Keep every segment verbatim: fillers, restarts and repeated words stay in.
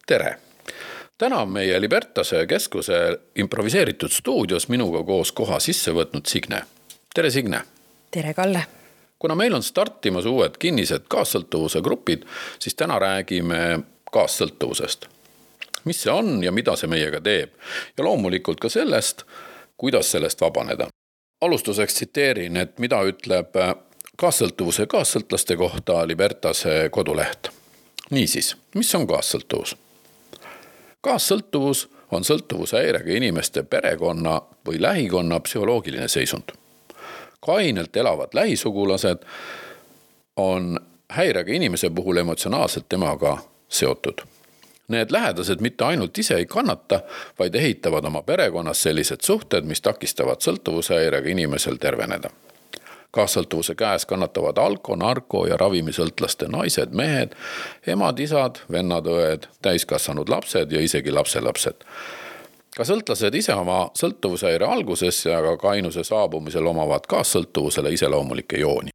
Tere! Täna on meie Libertase keskuse improviseeritud stuudios minuga koos koha sisse võtnud Signe. Tere Signe! Tere Kalle! Kuna meil on startimas uued kinnised kaassõltuvuse grupid, siis täna räägime kaassõltuvusest. Mis see on ja mida see meiega teeb? Ja loomulikult ka sellest, kuidas sellest vabaneda. Alustuseks tsiteerin, et mida ütleb kaassõltuvuse kaassõltlaste kohta Libertase koduleht. Niisiis, mis on kaassõltuvus? Kaassõltuvus on sõltuvushäirega inimeste perekonna või lähikonna psühholoogiline seisund. Kainelt elavad lähisugulased on häirega inimese puhul emotsionaalselt temaga seotud. Need lähedased mitte ainult ise ei kannata, vaid ehitavad oma perekonnas sellised suhted, mis takistavad sõltuvushäirega inimesel terveneda. Kaassõltuvuse käes kannatavad alko, narko ja ravimisõltlaste naised, mehed, emad, isad, vennad, õed, täiskasvanud lapsed ja isegi lapselapsed. Ka sõltlased ise oma sõltuvushäire alguses ja ka kainuse saabumisel omavad kaassõltuvusele iseloomulikke jooni.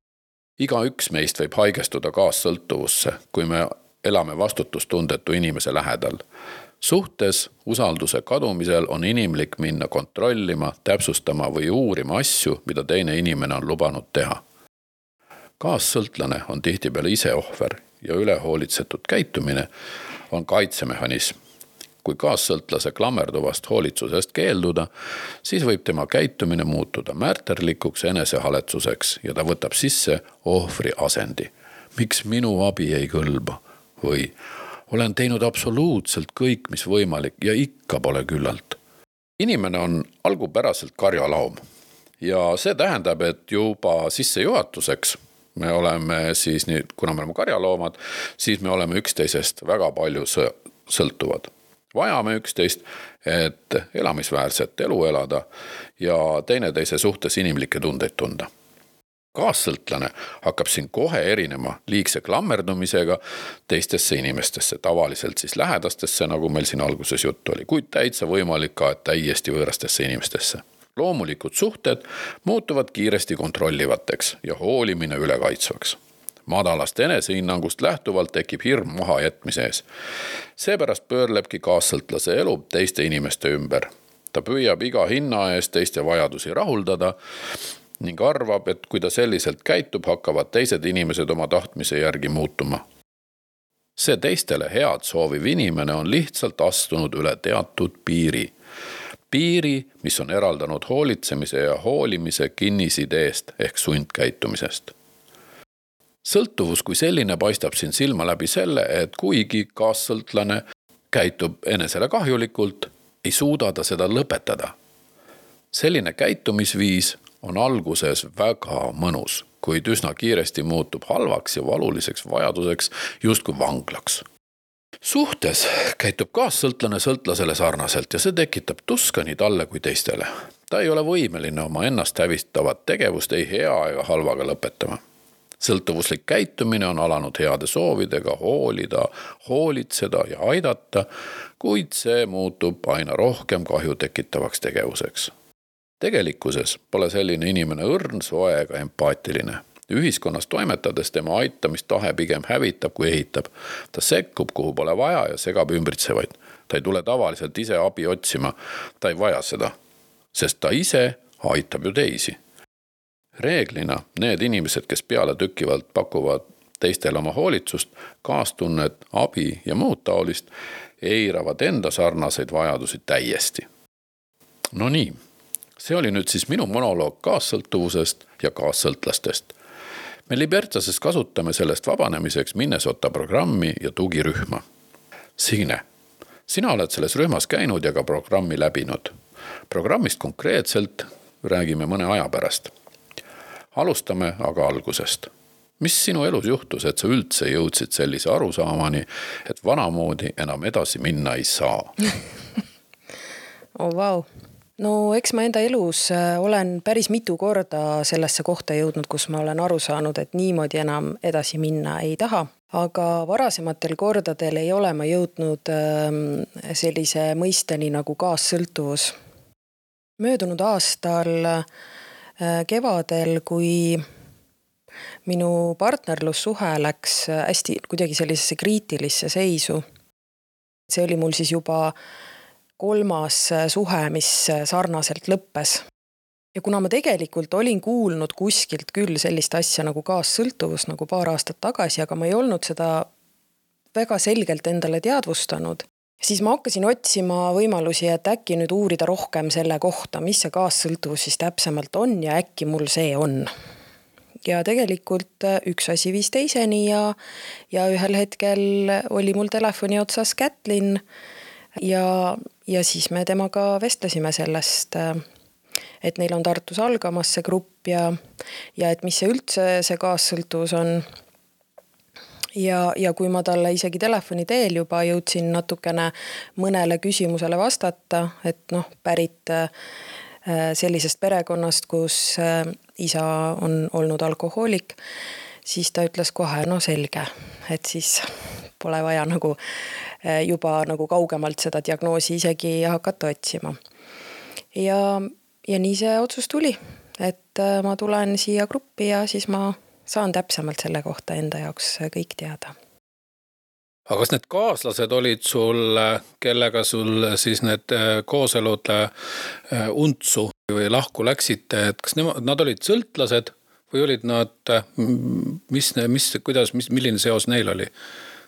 Iga üks meist võib haigestuda kaassõltuvusse, kui me elame vastutustundetu inimese lähedal. Suhtes usalduse kadumisel on inimlik minna kontrollima, täpsustama või uurima asju, mida teine inimene on lubanud teha. Kaassõltlane on tihtipeale ise ohver ja ülehoolitsetud käitumine on kaitsemehhanism. Kui kaassõltlase klammerduvast hoolitsusest keelduda, siis võib tema käitumine muutuda märterlikuks enesehaletsuseks ja ta võtab sisse ohvri asendi. Miks minu abi ei kõlba? Või olen teinud absoluutselt kõik, mis võimalik ja ikka pole küllalt. Inimene on algupäraselt karjalaum ja see tähendab, et juba sissejuhatuseks me oleme siis, kuna me oleme karjaloomad, siis me oleme üksteisest väga palju sõltuvad. Vajame üksteist, et elamisväärset elu elada ja teineteise suhtes inimlikke tundeid tunda. Kaassõltlane hakkab siin kohe erinema liigse klammerdumisega teistesse inimestesse, tavaliselt siis lähedastesse, nagu meil siin alguses juttu oli, kuid täitsa võimalik ka täiesti võõrastesse inimestesse. Loomulikud suhted muutuvad kiiresti kontrollivateks ja hoolimine ülekaitsvaks. Madalast enesehinnangust lähtuvalt tekib hirm maha jätmise ees. Seepärast pöörlebki kaassõltlase elu teiste inimeste ümber. Ta püüab iga hinna ees teiste vajadusi rahuldada ning arvab, et kui ta selliselt käitub, hakkavad teised inimesed oma tahtmise järgi muutuma. See teistele head sooviv inimene on lihtsalt astunud üle teatud piiri. Piiri, mis on eraldanud hoolitsemise ja hoolimise kinnisideest ehk sundkäitumisest. Sõltuvus kui selline paistab siin silma läbi selle, et kuigi kaassõltlane käitub enesele kahjulikult, ei suuda ta seda lõpetada. Selline käitumisviis on alguses väga mõnus, kuid üsna kiiresti muutub halvaks ja valuliseks vajaduseks justkui vanglaks. Suhtes käitub kaassõltlane sõltlasele sarnaselt ja see tekitab tuska nii talle kui teistele. Ta ei ole võimeline oma ennast hävistavat tegevust ei hea ega halvaga lõpetama. Sõltuvuslik käitumine on alanud heade soovidega hoolida, hoolitseda ja aidata, kuid see muutub aina rohkem kahju tekitavaks tegevuseks. Tegelikkuses pole selline inimene õrn, soe ega empaatiline. Ühiskonnas toimetades tema aitamistahe pigem hävitab kui ehitab. Ta sekkub, kuhu pole vaja ja segab ümbritsevaid. Ta ei tule tavaliselt ise abi otsima. Ta ei vaja seda, sest ta ise aitab ju teisi. Reeglina need inimesed, kes peale tükkivalt pakuvad teistele oma hoolitsust, kaastunnet, abi ja muud taolist, eiravad enda sarnaseid vajadusi täiesti. No nii. See oli nüüd siis minu monoloog kaassõltuvusest ja kaassõltlastest. Me Libertases kasutame sellest vabanemiseks Minnesota programmi ja tugirühma. Signe, sina oled selles rühmas käinud ja ka programmi läbinud. Programmist konkreetselt räägime mõne aja pärast. Alustame aga algusest. Mis sinu elus juhtus, et sa üldse jõudsid sellise arusaamani, et vanamoodi enam edasi minna ei saa? Oh, vau. No eks ma enda elus olen päris mitu korda sellesse kohta jõudnud, kus ma olen aru saanud, et niimoodi enam edasi minna ei taha. Aga varasematel kordadel ei ole ma jõudnud sellise mõisteni nagu kaassõltuvus. Möödunud aastal kevadel, kui minu partnerlussuhe läks hästi kuidagi sellisesse kriitilisse seisu, see oli mul siis juba kolmas suhe, mis sarnaselt lõppes. Ja kuna ma tegelikult olin kuulnud kuskilt küll sellist asja nagu kaassõltuvus nagu paar aastat tagasi, aga ma ei olnud seda väga selgelt endale teadvustanud, siis ma hakkasin otsima võimalusi, et äkki nüüd uurida rohkem selle kohta, mis see kaassõltuvus siis täpsemalt on ja äkki mul see on. Ja tegelikult üks asi viis teiseni ja, ja ühel hetkel oli mul telefoni otsas Kätlin ja, ja siis me temaga vestlesime sellest, et neil on Tartus algamas see grupp ja, ja et mis see üldse see kaassõltuvus on. Ja, ja kui ma talle isegi telefoni teel juba jõudsin natukene mõnele küsimusele vastata, et noh, pärit sellisest perekonnast, kus isa on olnud alkohoolik, siis ta ütles kohe, no selge, et siis pole vaja nagu juba nagu kaugemalt seda diagnoosi isegi hakata otsima. Ja, ja nii see otsus tuli, et ma tulen siia gruppi ja siis ma saan täpsemalt selle kohta enda jaoks kõik teada. Aga kas need kaaslased olid sul, kellega sul siis need kooselud untsu või lahku läksite, et kas nemad, nad olid sõltlased või olid nad, mis, mis, kuidas, mis, milline seos neil oli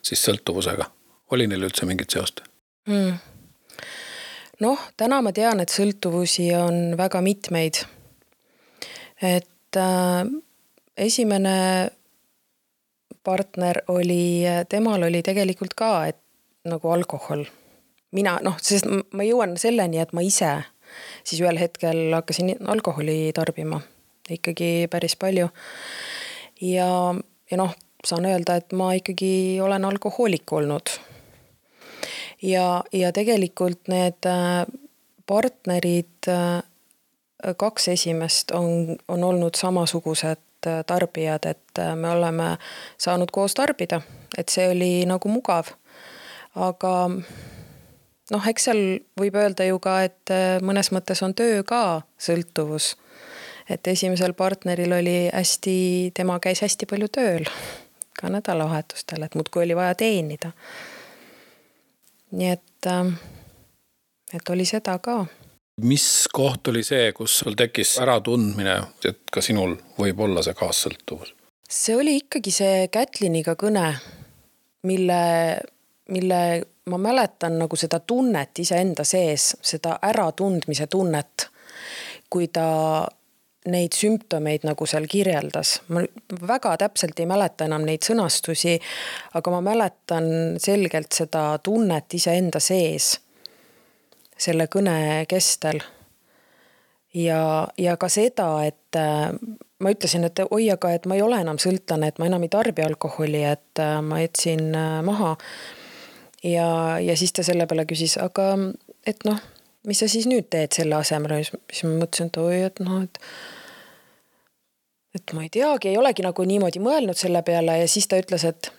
siis sõltuvusega? Oli neil üldse mingit seost? Hmm. Noh, täna ma tean, et sõltuvusi on väga mitmeid. Et äh, esimene partner oli, temal oli tegelikult ka, et nagu alkohol. Mina, noh, sest ma jõuan selleni, et ma ise siis ühel hetkel hakkasin alkoholi tarbima ikkagi päris palju. Ja, ja noh, saan öelda, et ma ikkagi olen alkohoolik olnud. Ja, ja tegelikult need partnerid, kaks esimest on, on olnud samasugused tarbijad, et me oleme saanud koos tarbida, et see oli nagu mugav. Aga noh, eks seal võib öelda ju ka, et mõnes mõttes on töö ka sõltuvus. Et esimesel partneril oli hästi, tema käis hästi palju tööl ka nädalavahetustel, et muudkui oli vaja teenida. Nii et, et oli seda ka. Mis koht oli see, kus sul tekkis äratundmine, et ka sinul võib olla see kaassõltuvus? See oli ikkagi see Kätliniga kõne, mille, mille ma mäletan nagu seda tunnet iseenda sees, seda äratundmise tunnet, kui ta neid sümptomeid nagu seal kirjeldas. Ma väga täpselt ei mäleta enam neid sõnastusi, aga ma mäletan selgelt seda tunnet iseenda sees selle kõne kestel. Ja, ja ka seda, et ma ütlesin, et oi, aga et ma ei ole enam sõltlane, et ma enam ei tarbi alkoholi, et ma jätsin maha. Ja, ja siis ta selle peale küsis, aga et noh, mis sa siis nüüd teed selle asemel? Siis ma mõtlesin, et oi, et noh, et, et ma ei teagi, ei olegi nagu niimoodi mõelnud selle peale ja siis ta ütles, et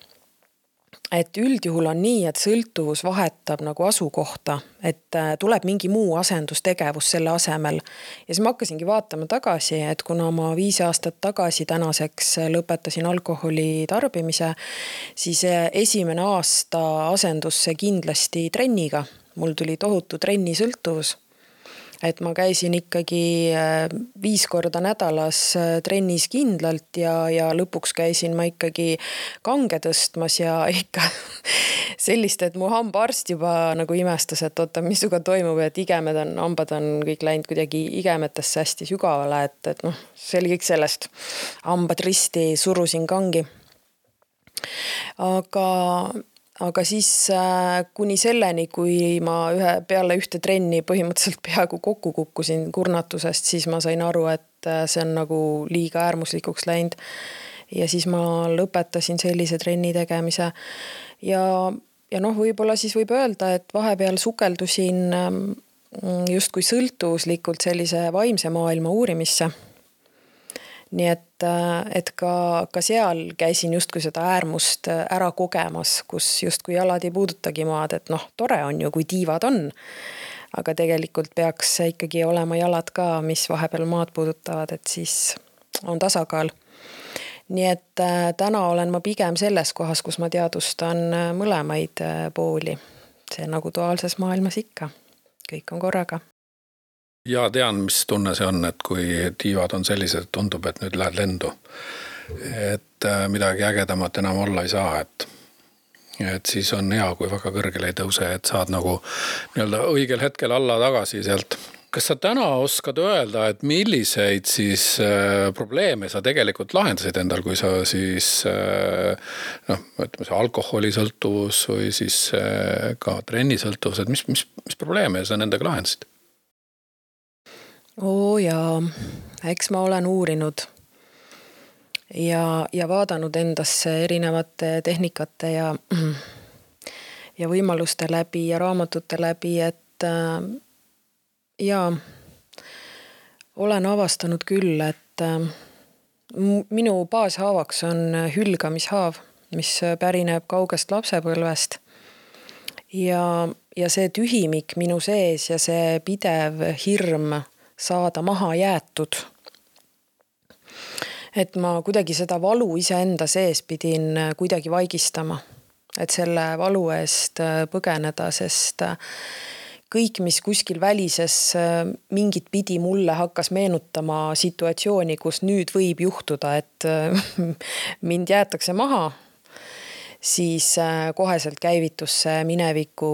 et üldjuhul on nii, et sõltuvus vahetab nagu asukohta, et tuleb mingi muu asendustegevus selle asemel. Ja siis ma hakkasingi vaatama tagasi, et kuna ma viis aastat tagasi tänaseks lõpetasin alkoholi tarbimise, siis esimene aasta asendus see kindlasti trenniga. Mul tuli tohutu trenni sõltuvus. Et ma käisin ikkagi viis korda nädalas trennis kindlalt ja, ja lõpuks käisin ma ikkagi kange tõstmas ja ikka sellist, et mu hambaarst juba nagu imestas, et oota, misuga toimub, et igemed on, hambad on kõik läinud kuidagi igemetesse hästi sügavale, et, et noh, see oli kõik sellest. Hambad risti surusin kangi. Aga... Aga siis kuni selleni, kui ma ühe, peale ühte trenni põhimõtteliselt peaaegu kokku kukkusin kurnatusest, siis ma sain aru, et see on nagu liiga äärmuslikuks läinud. Ja siis ma lõpetasin sellise trenni tegemise. Ja, ja noh, võib-olla siis võib öelda, et vahepeal sukeldusin justkui sõltuvuslikult sellise vaimse maailma uurimisse. Nii et, et ka, ka seal käisin justkui seda äärmust ära kogemas, kus justkui jalad ei puudutagi maad, et noh, tore on ju, kui tiivad on, aga tegelikult peaks ikkagi olema jalad ka, mis vahepeal maad puudutavad, et siis on tasakaal. Nii et täna olen ma pigem selles kohas, kus ma teadustan mõlemaid pooli, see nagu duaalses maailmas ikka, kõik on korraga. Ja tean, mis tunne see on, et kui tiivad on sellised, tundub, et nüüd lähed lendu. Et midagi ägedamat enam olla ei saa, et, et siis on hea, kui väga kõrgele ei tõuse, et saad nagu nii-öelda õigel hetkel alla tagasi sealt. Kas sa täna oskad öelda, et milliseid siis äh, probleeme sa tegelikult lahendasid endal, kui sa siis äh, noh, ütleme see alkoholisõltuvus või siis äh, ka trennisõltuvus, et mis, mis, mis probleeme sa nendega lahendasid? Oo jaa, eks ma olen uurinud ja, ja vaadanud endasse erinevate tehnikate ja, ja võimaluste läbi ja raamatute läbi, et äh, ja olen avastanud küll, et äh, minu baashaavaks on hülgamishaav, mis pärineb kaugest lapsepõlvest ja, ja see tühimik minu sees ja see pidev hirm saada maha jäetud. Et ma kuidagi seda valu iseenda sees pidin kuidagi vaigistama, et selle valu eest põgeneda, sest kõik, mis kuskil välises mingit pidi mulle hakkas meenutama situatsiooni, kus nüüd võib juhtuda, et mind jäetakse maha, siis koheselt käivitus see mineviku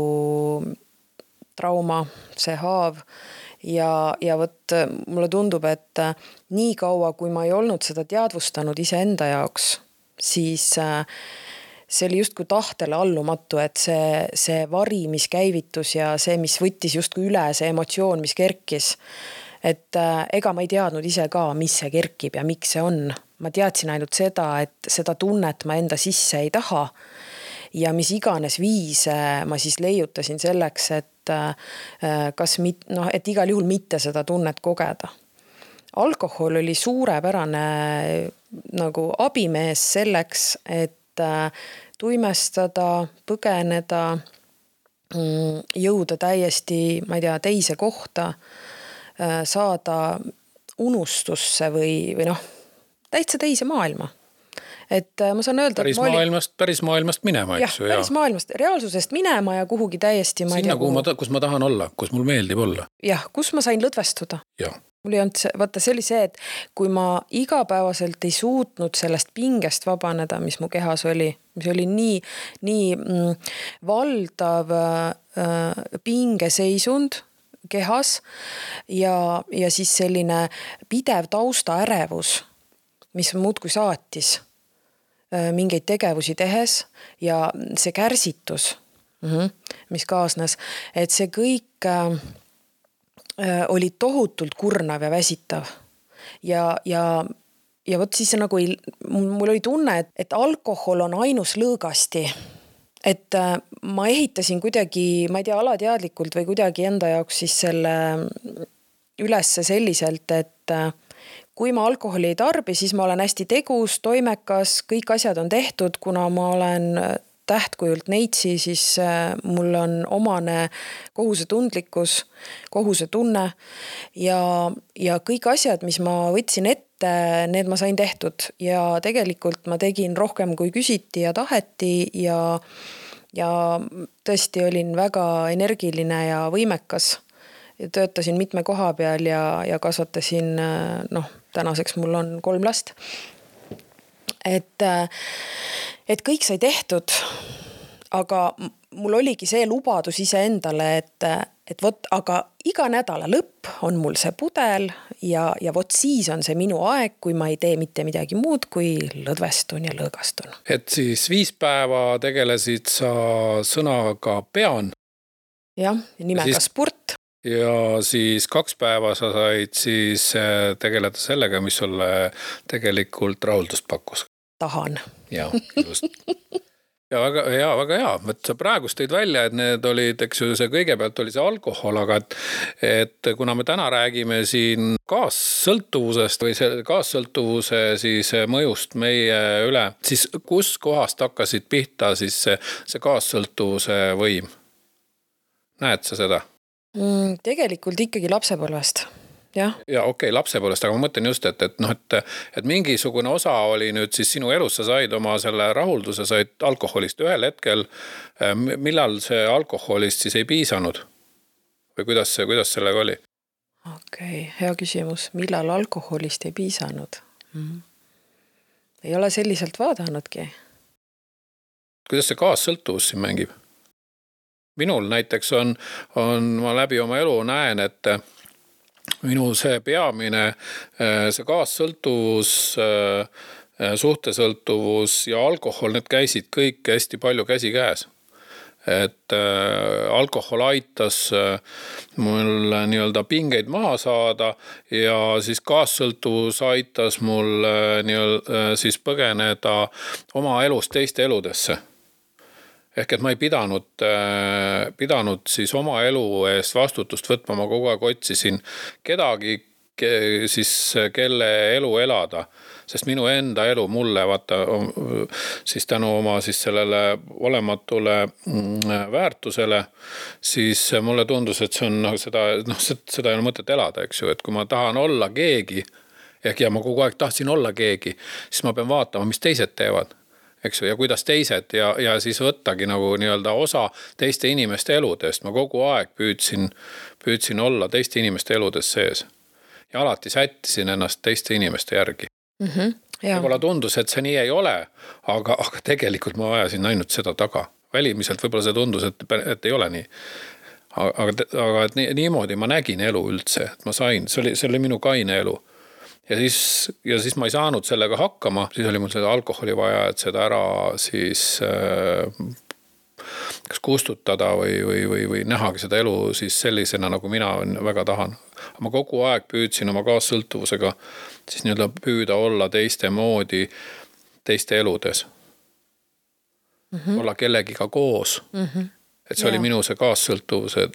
trauma, see haav. Ja, ja võt, mulle tundub, et nii kaua, kui ma ei olnud seda teadvustanud iseenda jaoks, siis see oli just kui tahtele allumatu, et see, see vari, mis käivitus ja see, mis võttis just kui üle, see emotsioon, mis kerkis. Et ega ma ei teadnud ise ka, mis see kerkib ja miks see on. Ma teadsin ainult seda, et seda tunnet ma enda sisse ei taha. Ja mis iganes viise ma siis leiutasin selleks, et kas mit, no, et igal juhul mitte seda tunnet kogeda. Alkohol oli suurepärane nagu abimees selleks, et tuimestada, põgeneda, jõuda täiesti, ma ei tea, teise kohta, saada unustusse või, või noh, täitsa teise maailma. Et ma saan öelda, päris, oli... maailmast, päris maailmast minema, eks ju. Jah, päris maailmast, reaalsusest minema ja kuhugi täiesti ma sinna, kuhu ma, kus ma tahan olla, kus mul meeldib olla. Jah, kus ma sain lõdvestuda. Ja. Mul ei olnud see, vaata, see oli see, et kui ma igapäevaselt ei suutnud sellest pingest vabaneda, mis mu kehas oli, mis oli nii, nii mm, valdav äh, pingeseisund kehas ja, ja siis selline pidev tausta ärevus, mis muudkui saatis mingeid tegevusi tehes ja see kärsitus, mis kaasnes, et see kõik oli tohutult kurnav ja väsitav. Ja, ja, ja võt siis nagu ei, mul oli tunne, et, et alkohol on ainus lõõgasti. Et ma ehitasin kuidagi, ma ei tea, alateadlikult või kuidagi enda jaoks siis selle ülesse selliselt, et kui ma alkoholi ei tarbi, siis ma olen hästi tegus, toimekas, kõik asjad on tehtud, kuna ma olen tähtkujult neitsi, siis mul on omane kohusetundlikkus, kohusetunne ja, ja kõik asjad, mis ma võtsin ette, need ma sain tehtud ja tegelikult ma tegin rohkem kui küsiti ja taheti ja, ja tõesti olin väga energiline ja võimekas ja töötasin mitme koha peal ja, ja kasvatasin, noh, tänaseks mul on kolm last. Et, et kõik sai tehtud, aga mul oligi see lubadus ise endale, et, et vot, aga iga nädala lõpp on mul see pudel ja, ja vot siis on see minu aeg, kui ma ei tee mitte midagi muud, kui lõdvestun ja lõõgastun. Et siis viis päeva tegelesid sa sõnaga pean. Jah, nimega siis... sport. Ja siis kaks päeva sa said siis tegeleda sellega, mis sulle tegelikult rahuldust pakkus. Tahan. Ja, just. Ja väga hea, väga hea. Et sa praegust tõid välja, et need olid, eks ju, see kõigepealt oli see alkohol, aga et, et kuna me täna räägime siin kaassõltuvusest või see kaassõltuvuse siis mõjust meie üle, siis kus kohast hakkasid pihta siis see, see kaassõltuvuse võim? Näed sa seda? Tegelikult ikkagi lapsepõlvest. jah. Ja okei, okay, lapsepõlvest, aga ma mõtlen just, et, et, noh, et, et mingisugune osa oli nüüd siis sinu elus, sa said oma selle rahulduse, said alkoholist ühel hetkel, millal see alkoholist siis ei piisanud? Või kuidas, see, kuidas sellega oli? Okei, okay, hea küsimus. Millal alkoholist ei piisanud? Mm-hmm. Ei ole selliselt vaadanudki. Kuidas see kaassõltuvus siin mängib? Minul näiteks on, on, ma läbi oma elu näen, et minu see peamine, see kaassõltuvus, suhtesõltuvus ja alkohol, need käisid kõik hästi palju käsi käes. Et alkohol aitas mul nii-öelda pingeid maha saada ja siis kaassõltuvus aitas mul nii-öelda siis põgeneda oma elust teiste eludesse. Ehk et ma ei pidanud, pidanud siis oma elu eest vastutust võtma, ma kogu aeg otsisin kedagi, siis kelle elu elada, sest minu enda elu mulle vaata siis tänu oma siis sellele olematule väärtusele, siis mulle tundus, et see on noh, seda, noh, seda ei ole mõtet elada, eks ju, et kui ma tahan olla keegi, ehk ja ma kogu aeg tahtsin olla keegi, siis ma pean vaatama, mis teised teevad. Eks ju, ja kuidas teised ja, ja siis võttagi nagu nii-öelda osa teiste inimeste eludest. Ma kogu aeg püüdsin, püüdsin olla teiste inimeste eludes sees. Ja alati sättisin ennast teiste inimeste järgi. Mm-hmm, võib-olla tundus, et see nii ei ole, aga, aga tegelikult ma ajasin ainult seda taga. Välimiselt võib-olla see tundus, et, et ei ole nii. Aga, aga et nii, niimoodi ma nägin elu üldse, et ma sain, see oli, see oli minu kaine elu. Ja siis, ja siis ma ei saanud sellega hakkama, siis oli mul seda alkoholi vaja, et seda ära siis äh, kas kustutada või, või, või, või nähagi seda elu siis sellisena, nagu mina väga tahan. Ma kogu aeg püüdsin oma kaassõltuvusega siis nii-öelda püüda olla teiste moodi teiste eludes. Mm-hmm. Olla kellegiga koos. Mm-hmm. Et see ja. Oli minu see kaassõltuvuse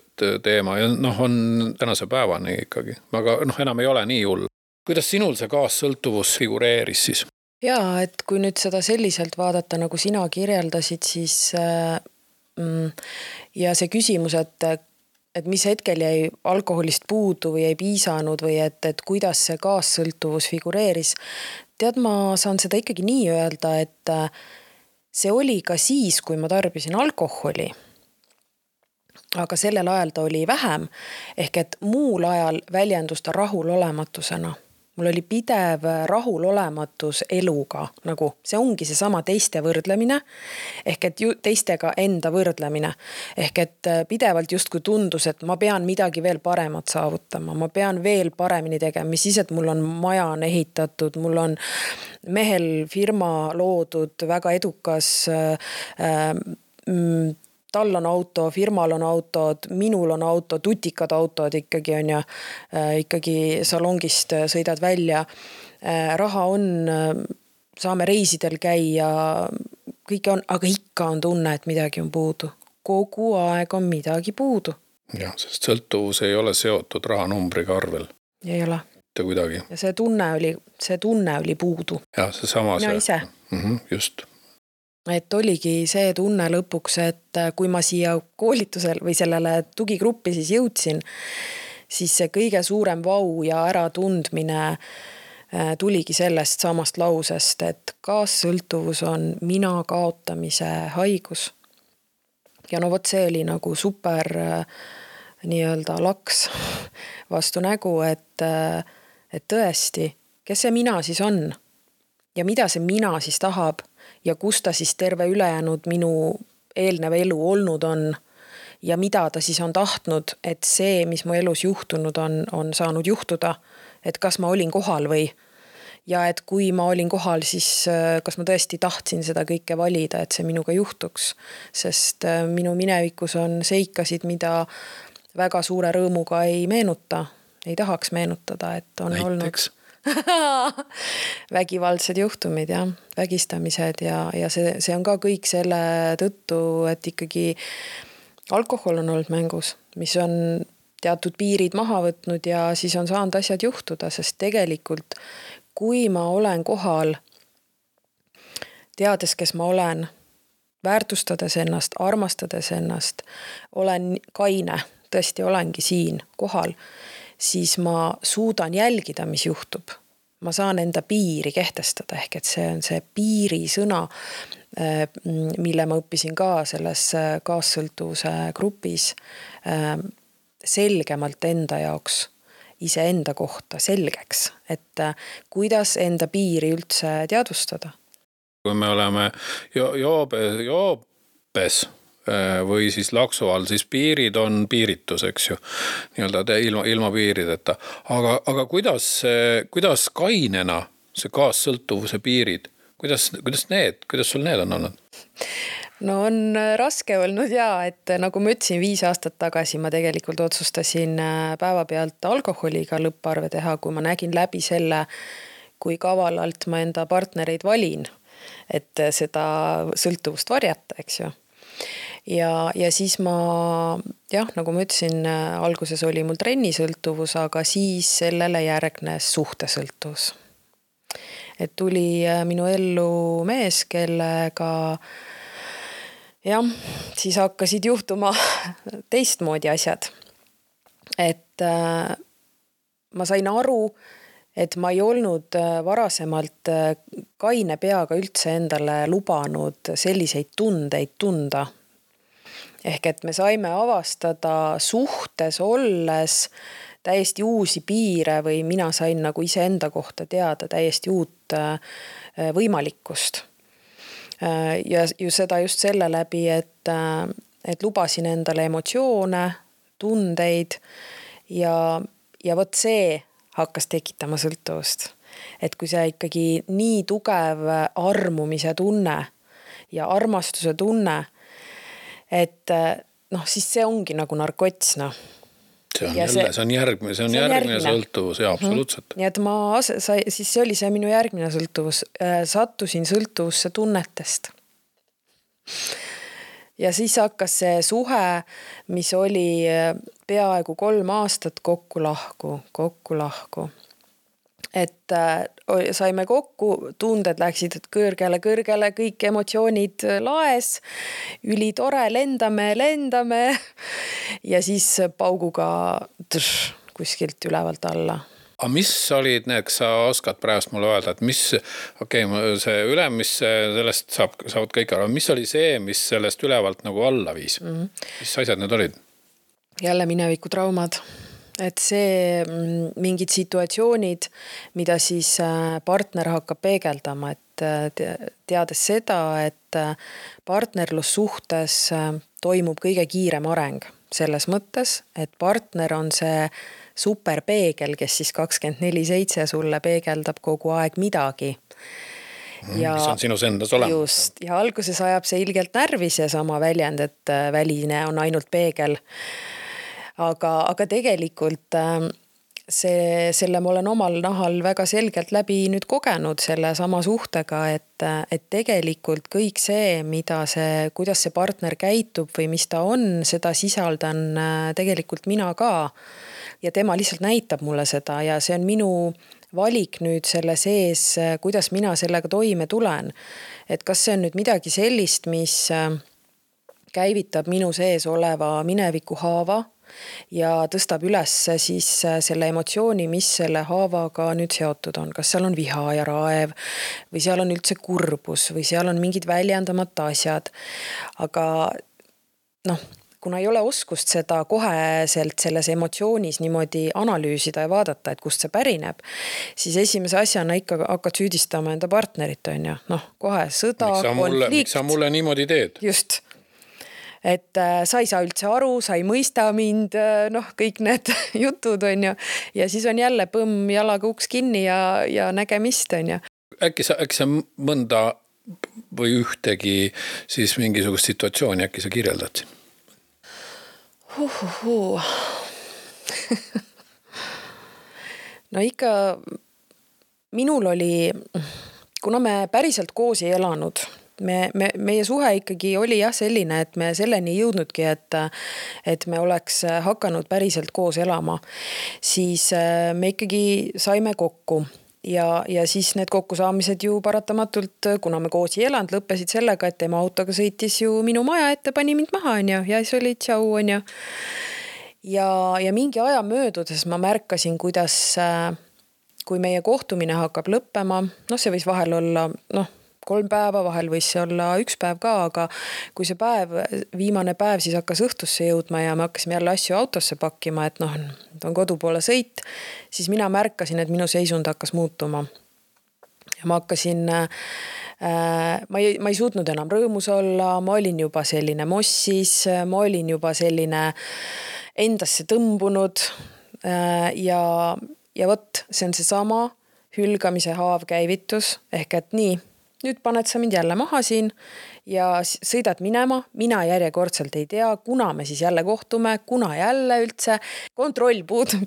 teema ja noh, on tänase päevani ikkagi. Aga noh, enam ei ole nii hull. Kuidas sinul see kaassõltuvus figureeris siis? Jaa, et kui nüüd seda selliselt vaadata, nagu sina kirjeldasid, siis äh, ja see küsimus, et, et mis hetkel jäi alkoholist puudu või ei piisanud või et, et kuidas see kaassõltuvus figureeris, tead, ma saan seda ikkagi nii öelda, et see oli ka siis, kui ma tarbisin alkoholi, aga sellel ajal ta oli vähem, ehk et muul ajal väljendus ta rahulolematusena. Mul oli pidev rahulolematus eluga, nagu see ongi see sama teiste võrdlemine, ehk et ju, teistega enda võrdlemine, ehk et pidevalt justkui tundus, et ma pean midagi veel paremat saavutama, ma pean veel paremini tegema, mis siis, et mul on maja on ehitatud, mul on mehel firma loodud, väga edukas äh, mm, tal on auto, firmal on autod, minul on auto, tutikad autod ikkagi on ja äh, ikkagi salongist sõidad välja. Äh, raha on, saame reisidel käia, kõik on, aga ikka on tunne, et midagi on puudu. Kogu aeg on midagi puudu. Ja, sest sõltuvus ei ole seotud rahanumbriga arvel. Ei ole. Te kuidagi. Ja see tunne oli, see tunne oli puudu. Ja, see sama Mina see. ise. Mm-hmm, just. Et oligi see tunne lõpuks, et kui ma siia koolitusel või sellele tugigruppi siis jõudsin, siis see kõige suurem vau ja äratundmine tuligi sellest samast lausest, et kaassõltuvus on mina kaotamise haigus. Ja no vot see oli nagu super nii-öelda laks vastu nägu, et, et tõesti, kes see mina siis on ja mida see mina siis tahab, ja kus ta siis terve ülejäänud minu eelnev elu olnud on ja mida ta siis on tahtnud, et see, mis mu elus juhtunud on, on saanud juhtuda, et kas ma olin kohal või ja et kui ma olin kohal, siis kas ma tõesti tahtsin seda kõike valida, et see minuga juhtuks, sest minu minevikus on seikasid, mida väga suure rõõmuga ei meenuta, ei tahaks meenutada, et on Näiteks. olnud vägivaldsed juhtumid ja vägistamised ja, ja see, see on ka kõik selle tõttu, et ikkagi alkohol on olnud mängus, mis on teatud piirid maha võtnud ja siis on saanud asjad juhtuda, sest tegelikult kui ma olen kohal, teades, kes ma olen, väärtustades ennast, armastades ennast, olen kaine, tõesti olengi siin kohal, siis ma suudan jälgida, mis juhtub. Ma saan enda piiri kehtestada, ehk et see on see piiri sõna, mille ma õppisin ka selles kaassõltuvuse grupis selgemalt enda jaoks, ise enda kohta selgeks, et kuidas enda piiri üldse teadvustada. Kui me oleme joobe, joobes või siis laksu all, siis piirid on piiritus, eks ju, nii-öelda ilma, ilma piirideta. Aga, aga kuidas, kuidas kainena see kaassõltuvuse piirid, kuidas, kuidas need, kuidas sul need on olnud? No on raske olnud ja, et nagu ma ütlesin, viis aastat tagasi ma tegelikult otsustasin päevapealt alkoholiga lõpparve teha, kui ma nägin läbi selle, kui kavalalt ma enda partnereid valin, et seda sõltuvust varjata, eks ju. Ja, ja siis ma, jah, nagu ma ütlesin, alguses oli mul trennisõltuvus, aga siis sellele järgnes suhtesõltuvus. Et tuli minu ellu mees, kellega, jah, siis hakkasid juhtuma teistmoodi asjad. Et ma sain aru, et ma ei olnud varasemalt kaine peaga üldse endale lubanud selliseid tundeid tunda. Ehk et me saime avastada suhtes olles täiesti uusi piire või mina sain nagu ise enda kohta teada täiesti uut võimalikkust. Ja ju seda just selle läbi, et, et lubasin endale emotsioone, tundeid ja, ja võt see hakkas tekitama sõltuvust. Et kui see ikkagi nii tugev armumise tunne ja armastuse tunne, et noh, siis see ongi nagu narkots, noh. See on, jälle, see, see on järgmine, see on, see on järgmine, järgmine sõltuvus, ja absoluutselt. Mm-hmm. Nii et ma, sai, siis see oli see minu järgmine sõltuvus. Sattusin sõltuvusse tunnetest. Ja siis hakkas see suhe, mis oli peaaegu kolm aastat kokku lahku, kokku lahku. Et saime kokku, tunded läksid kõrgele, kõrgele, kõik emotsioonid laes, üli tore, lendame, lendame ja siis pauguga tš, kuskilt ülevalt alla. Aga mis olid need, kas sa oskad praegust mulle öelda, et mis, okei, okay, see ülem, mis sellest saab, saavad kõik aru, mis oli see, mis sellest ülevalt nagu alla viis? Mm-hmm. Mis asjad need olid? Jälle mineviku traumad. Et see mingid situatsioonid, mida siis partner hakkab peegeldama, et teades seda, et partnerlussuhtes toimub kõige kiirem areng selles mõttes, et partner on see superpeegel, kes siis kakskümmend neli seitse sulle peegeldab kogu aeg midagi. Ja, mis on sinus endas olemas. Just, ja alguses ajab see ilgelt närvis ja sama väljend, et väline on ainult peegel. Aga, aga tegelikult see, selle ma olen omal nahal väga selgelt läbi nüüd kogenud selle sama suhtega, et, et tegelikult kõik see, mida see, kuidas see partner käitub või mis ta on, seda sisaldan tegelikult mina ka. Ja tema lihtsalt näitab mulle seda ja see on minu valik nüüd selle sees, kuidas mina sellega toime tulen. Et kas see on nüüd midagi sellist, mis käivitab minu sees oleva mineviku haava, ja tõstab üles siis selle emotsiooni, mis selle haavaga nüüd seotud on. Kas seal on viha ja raev või seal on üldse kurbus või seal on mingid väljendamata asjad. Aga noh, kuna ei ole oskust seda koheselt selles emotsioonis niimoodi analüüsida ja vaadata, et kust see pärineb, siis esimese asjana ikka hakkad süüdistama enda partnerit, on ju. Noh, kohe sõda, konflikt. Miks sa mulle niimoodi teed? Just. Et sa ei saa üldse aru, sa ei mõista mind, noh, kõik need jutud on ju. Ja siis on jälle põmm jalaga uks kinni ja, ja nägemist on ju. Äkki sa, äkki sa mõnda või ühtegi siis mingisugust situatsiooni äkki sa kirjeldad siin? Uhuhu. No ikka minul oli, kuna me päriselt koos ei elanud, Me, me, meie suhe ikkagi oli jah selline, et me selleni jõudnudki, et, et me oleks hakanud päriselt koos elama. Siis me ikkagi saime kokku ja, ja siis need kokkusaamised ju paratamatult, kuna me koos ei elanud, lõppesid sellega, et tema autoga sõitis ju minu maja ette, pani mind maha on ju, ja siis oli tšau on ju. ja, ja mingi aja möödudes ma märkasin, kuidas kui meie kohtumine hakkab lõppema, noh, see võis vahel olla, noh, kolm päeva, vahel võis see olla üks päev ka, aga kui see päev, viimane päev siis hakkas õhtusse jõudma ja me hakkasime jälle asju autosse pakkima, et noh, on kodu poole sõit, siis mina märkasin, et minu seisund hakkas muutuma. Ja ma hakkasin, äh, ma, ei, ma ei suutnud enam rõõmus olla, ma olin juba selline mossis, ma olin juba selline endasse tõmbunud äh, ja, ja võt, see on see sama hülgamise haav käivitus, ehk et nii, nüüd paned sa mind jälle maha siin ja sõidad minema, mina järjekordselt ei tea, kuna me siis jälle kohtume, kuna jälle üldse, kontroll puudub.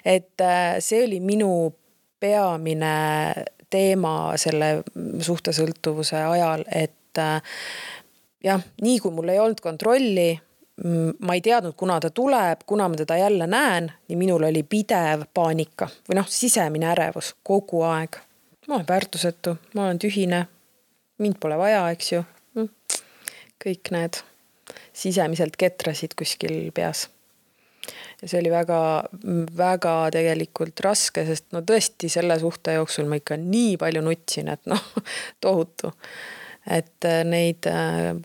Et see oli minu peamine teema selle suhtesõltuvuse ajal, et jah, nii kui mul ei olnud kontrolli, ma ei teadnud, kuna ta tuleb, kuna ma teda jälle näen, nii minul oli pidev paanika või noh, sisemine ärevus kogu aeg. Ma olen väärtusetu, ma olen tühine, mind pole vaja, eks ju. Kõik need sisemiselt ketrasid kuskil peas. Ja see oli väga, väga tegelikult raske, sest no tõesti selle suhte jooksul ma ikka nii palju nutsin, et noh, tohutu. Et neid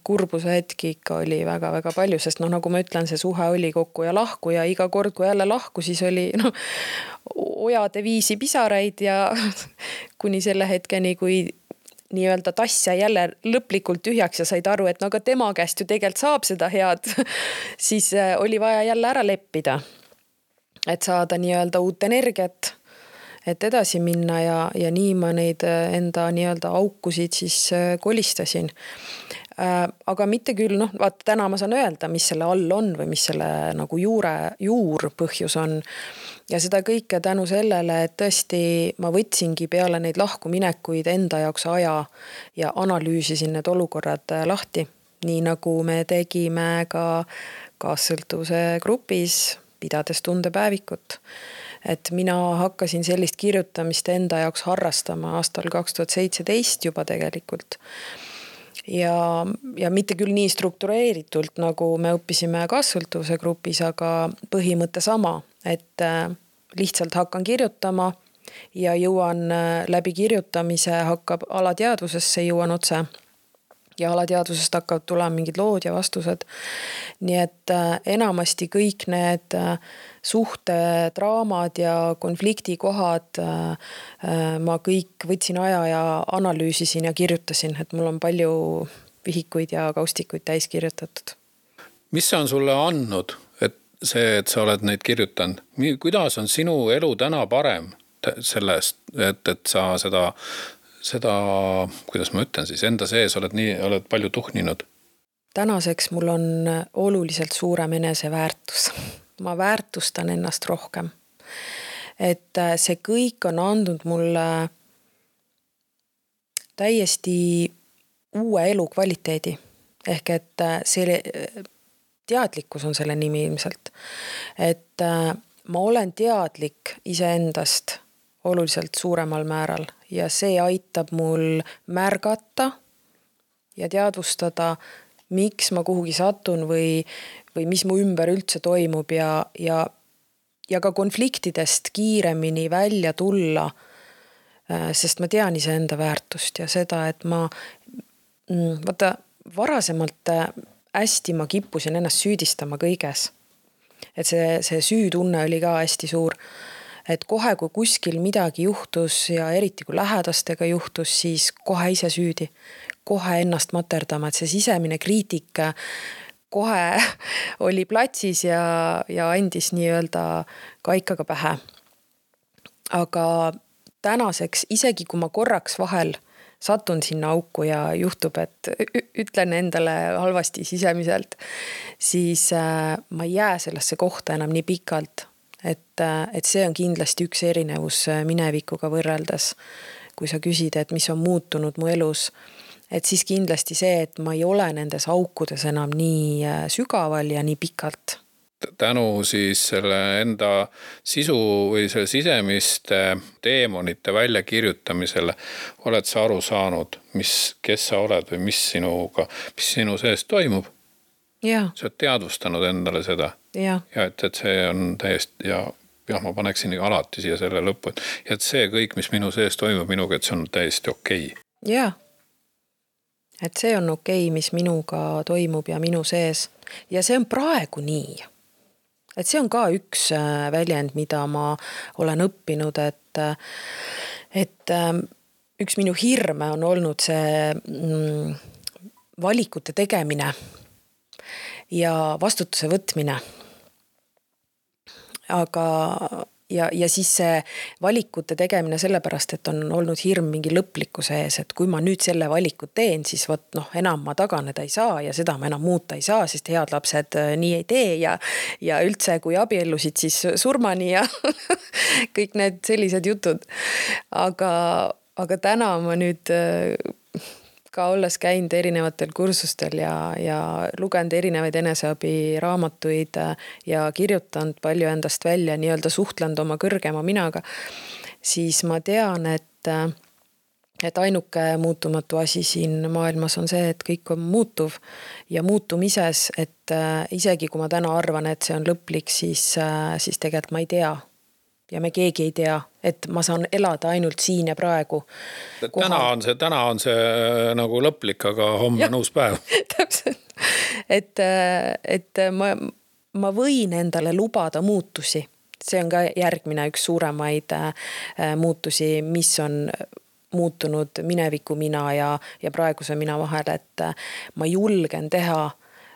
kurbuse hetki ikka oli väga-väga palju, sest noh, nagu ma ütlen, see suhe oli kokku ja lahku ja iga kord, kui jälle lahku, siis oli noh, ojade viisi pisaraid ja kuni selle hetkeni, kui nii-öelda tass jäi jälle lõplikult tühjaks ja said aru, et no aga tema käest ju tegelikult saab seda head, siis oli vaja jälle ära leppida, et saada nii-öelda uut energiat, et edasi minna ja, ja nii ma neid enda nii-öelda aukusid siis kolistasin. Aga mitte küll, noh, vaata täna ma saan öelda, mis selle all on või mis selle nagu juure, juur põhjus on. Ja seda kõike tänu sellele, et tõesti ma võtsingi peale neid lahkuminekuid enda jaoks aja ja analüüsisin need olukorrad lahti. Nii nagu me tegime ka kaassõltuvuse grupis, pidades tundepäevikut. Et mina hakkasin sellist kirjutamist enda jaoks harrastama aastal kaks tuhat seitseteist juba tegelikult. Ja, ja mitte küll nii struktureeritult, nagu me õppisime kaassõltuvuse grupis, aga põhimõte sama, et lihtsalt hakkan kirjutama ja jõuan läbi kirjutamise, hakkab alateadvusesse, jõuan otse. Ja alateadvusest hakkavad tulema mingid lood ja vastused. Nii et enamasti kõik need suhtedraamad ja konfliktikohad ma kõik võtsin aja ja analüüsisin ja kirjutasin, et mul on palju vihikuid ja kaustikuid täis kirjutatud. Mis see on sulle andnud, et see, et sa oled neid kirjutanud? Kuidas on sinu elu täna parem sellest, et, et sa seda seda, kuidas ma ütlen siis, enda sees oled, nii, oled palju tuhninud? Tänaseks mul on oluliselt suurem eneseväärtus. Ma väärtustan ennast rohkem. Et see kõik on andnud mulle täiesti uue elu kvaliteedi. Ehk et see teadlikkus on selle nimi ilmselt. Et ma olen teadlik iseendast oluliselt suuremal määral ja see aitab mul märgata ja teadvustada, miks ma kuhugi satun või, või mis mu ümber üldse toimub ja, ja, ja ka konfliktidest kiiremini välja tulla, sest ma tean iseenda väärtust ja seda, et ma vaata, varasemalt hästi ma kippusin ennast süüdistama kõiges. Et see, see süütunne oli ka hästi suur. Et kohe, kui kuskil midagi juhtus ja eriti kui lähedastega juhtus, siis kohe ise süüdi, kohe ennast materdama, et see sisemine kriitik kohe oli platsis ja, ja andis nii-öelda kaikaga pähe. Aga tänaseks, isegi kui ma korraks vahel satun sinna auku ja juhtub, et ütlen endale halvasti sisemiselt, siis ma ei jää sellesse kohta enam nii pikalt. Et, et see on kindlasti üks erinevus minevikuga võrreldes, kui sa küsid, et mis on muutunud mu elus, et siis kindlasti see, et ma ei ole nendes aukudes enam nii sügaval ja nii pikalt. Tänu siis selle enda sisu või selle sisemiste teemonite väljakirjutamisele oled sa aru saanud, mis, kes sa oled või mis sinuga, mis sinu sees toimub? Ja. sa oled teadvustanud endale seda. Ja, ja et, et see on täiesti ja jah, ma paneksin alati siia selle lõppu, et, et see kõik, mis minu sees toimub minuga, et see on täiesti okei. Ja, et see on okei, mis minuga toimub ja minu sees ja see on praegu nii. Et see on ka üks väljend, mida ma olen õppinud, et, et üks minu hirme on olnud see mm, valikute tegemine ja vastutuse võtmine. Aga ja, ja siis see valikute tegemine sellepärast, et on olnud hirm mingi lõplikkuse ees, et kui ma nüüd selle valikut teen, siis võt, noh, enam ma taganeda ei saa ja seda ma enam muuta ei saa, sest head lapsed nii ei tee ja, ja üldse kui abiellusid, siis surmani ja kõik need sellised jutud. Aga, aga täna ma nüüd ka olles käinud erinevatel kursustel ja, ja lugenud erinevaid eneseabi raamatuid ja kirjutanud palju endast välja, nii-öelda suhtlenud oma kõrgema minaga, siis ma tean, et, et ainuke muutumatu asi siin maailmas on see, et kõik on muutuv ja muutumises, et isegi kui ma täna arvan, et see on lõplik, siis, siis tegelikult ma ei tea. Ja me keegi ei tea, et ma saan elada ainult siin ja praegu. Täna on see, täna on see nagu lõplik, aga homme on uus päev. Täpselt. Et, et ma, ma võin endale lubada muutusi. See on ka järgmine üks suuremaid muutusi, mis on muutunud mineviku mina ja, ja praeguse mina vahel, et ma julgen teha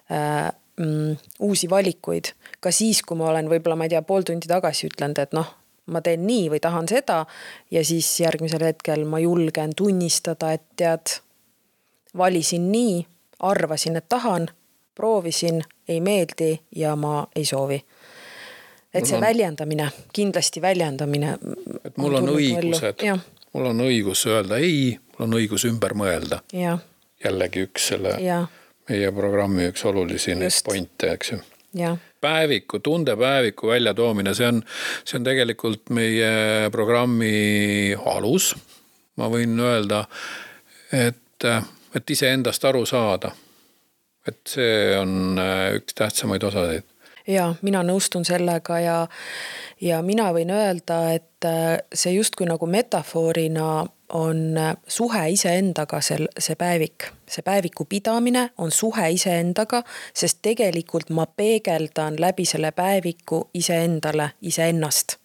mm, uusi valikuid. Ka siis, kui ma olen võib-olla, ma ei tea, pool tundi tagasi ütlenud, et noh, ma teen nii või tahan seda ja siis järgmisel hetkel ma julgen tunnistada, et tead, valisin nii, arvasin, et tahan, proovisin, ei meeldi ja ma ei soovi. Et see on, väljendamine, kindlasti väljendamine. Et mul on, on õigused, mul on õigus öelda ei, mul on õigus ümber mõelda. Ja. Jällegi üks selle ja. meie programmi üks olulisi pointe, eks ju. Ja. Päeviku, tundepäeviku välja toomine, see on, see on tegelikult meie programmi alus. Ma võin öelda, et, et ise endast aru saada. Et see on üks tähtsamaid osasid. Ja, mina nõustun sellega ja, ja mina võin öelda, et see justkui nagu metafoorina on suhe iseendaga see, see päevik. See päeviku pidamine on suhe iseendaga, sest tegelikult ma peegeldan läbi selle päeviku iseendale, iseennast.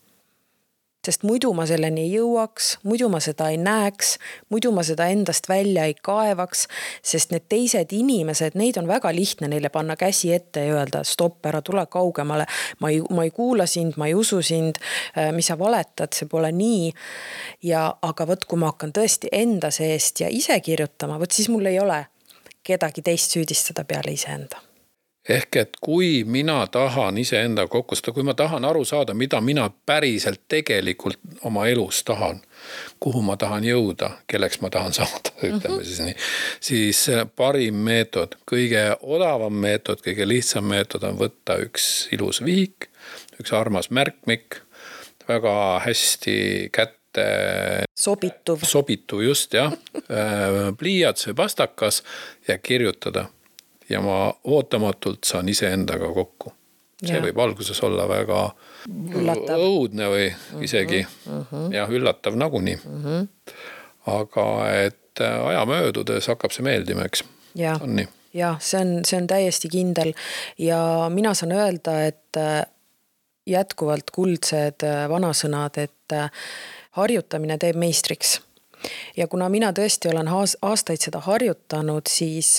Sest muidu ma selleni ei jõuaks, muidu ma seda ei näeks, muidu ma seda endast välja ei kaevaks, sest need teised inimesed, neid on väga lihtne neile panna käsi ette ja öelda, stopp, ära tule kaugemale, ma ei, ma ei kuula sind, ma ei usu sind, mis sa valetad, see pole nii. Ja, aga võt, kui ma hakkan tõesti enda seest ja ise kirjutama, võt siis mul ei ole kedagi teist süüdistada peale iseenda. Ehk et kui mina tahan iseenda kokkustada, kui ma tahan aru saada, mida mina päriselt tegelikult oma elus tahan, kuhu ma tahan jõuda, kelleks ma tahan saada, ütleme mm-hmm. siis nii, siis parim meetod, kõige odavam meetod, kõige lihtsam meetod on võtta üks ilus vihik, üks armas märkmik, väga hästi kätte sobituv, sobituv just, jah, pliiats või pastakas ja kirjutada. Ja ma ootamatult saan ise endaga kokku. See ja. Võib alguses olla väga üllatav. Õudne või isegi uh-huh. ja üllatav nagunii. Uh-huh. Aga et aja möödudes hakkab see meeldima, eks. Ja, on nii. Ja see on, see on täiesti kindel. Ja mina saan öelda, et jätkuvalt kuldsed vanasõnad, et harjutamine teeb meistriks. Ja kuna mina tõesti olen aastaid seda harjutanud, siis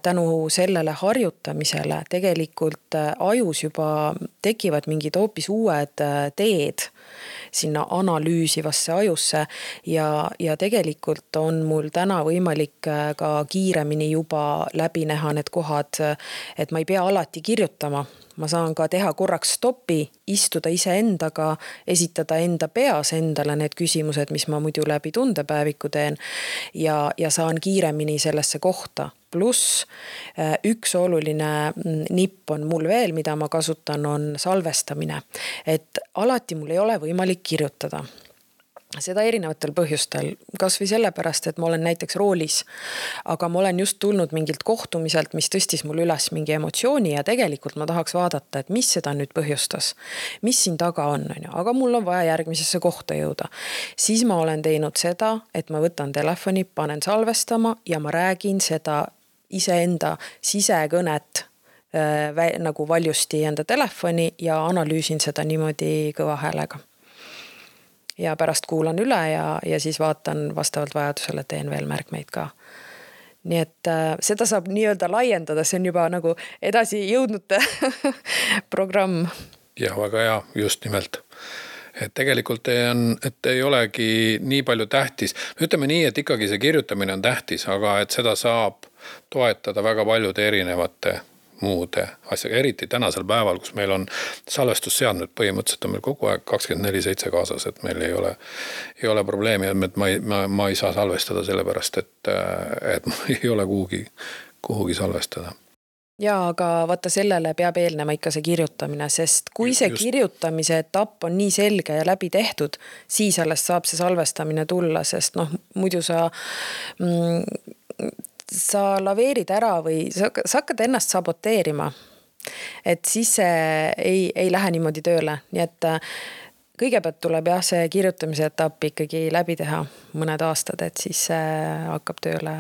tänu sellele harjutamisele tegelikult ajus juba tekivad mingid hoopis uued teed sinna analüüsivasse ajusse ja, ja tegelikult on mul täna võimalik ka kiiremini juba läbi näha need kohad, et ma ei pea alati kirjutama. Ma saan ka teha korraks stopi, istuda ise endaga, esitada enda peas endale need küsimused, mis ma muidu läbi tundepäeviku teen ja, ja saan kiiremini sellesse kohta. Plus üks oluline nipp on mul veel, mida ma kasutan, on salvestamine. Et alati mul ei ole võimalik kirjutada. seda erinevatel põhjustel, kas või sellepärast, et ma olen näiteks roolis, aga ma olen just tulnud mingilt kohtumiselt, mis tõstis mul üles mingi emotsiooni ja tegelikult ma tahaks vaadata, et mis seda nüüd põhjustas, mis siin taga on, on ju? Aga mul on vaja järgmisesse kohta jõuda. Siis ma olen teinud seda, et ma võtan telefoni, panen salvestama ja ma räägin seda iseenda sisekõnet äh, nagu valjusti enda telefoni ja analüüsin seda niimoodi kõva häälega. Ja pärast kuulan üle ja, ja siis vaatan vastavalt vajadusele, teen veel märkmeid ka. Nii et äh, seda saab nii-öelda laiendada, see on juba nagu edasi jõudnud programm. Ja väga hea, just nimelt. Et tegelikult ei, on, et ei olegi nii palju tähtis. Ütleme nii, et ikkagi see kirjutamine on tähtis, aga et seda saab toetada väga paljude erinevate muude asjaga, eriti tänasel päeval, kus meil on salvestusseadmed põhimõtteliselt on meil kogu aeg kakskümmend neli seitse kaasas, et meil ei ole, ei ole probleemi, et ma ei, ma, ma ei saa salvestada sellepärast, et, et ma ei ole kuhugi, kuhugi salvestada. Ja, aga vaata sellele peab eelnema ikka see kirjutamine, sest kui see Just. kirjutamise etapp on nii selge ja läbi tehtud, siis alles saab see salvestamine tulla, sest noh, muidu sa mm, sa laveerid ära või sa, sa hakkad ennast saboteerima. Et siis see ei, ei lähe niimoodi tööle. Nii et kõigepealt tuleb jah, see kirjutamise etapp ikkagi läbi teha mõned aastad, et siis see hakkab tööle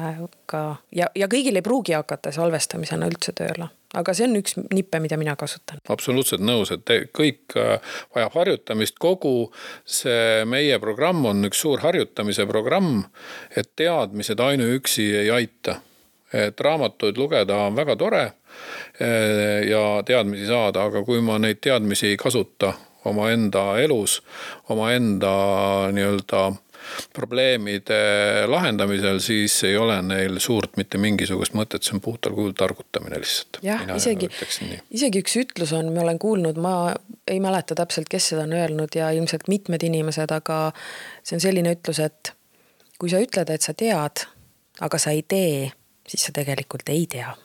ka. Ja, ja kõigil ei pruugi hakata salvestamisena üldse tööle. Aga see on üks nippe, mida mina kasutan. Absoluutselt nõus, et kõik vajab harjutamist. Kogu see meie programm on üks suur harjutamise programm, et teadmised ainuüksi ei aita. Et raamatuid lugeda on väga tore ja teadmisi saada, aga kui ma neid teadmisi ei kasuta oma enda elus, oma enda nii-öelda probleemide lahendamisel, siis ei ole neil suurt mitte mingisugust mõtet, see on puhtal kujul targutamine lihtsalt. Jah, isegi, isegi üks ütlus on, ma olen kuulnud, ma ei mäleta täpselt, kes seda on öelnud ja ilmselt mitmed inimesed, aga see on selline ütlus, et kui sa ütled, et sa tead, aga sa ei tee, siis sa tegelikult ei tea.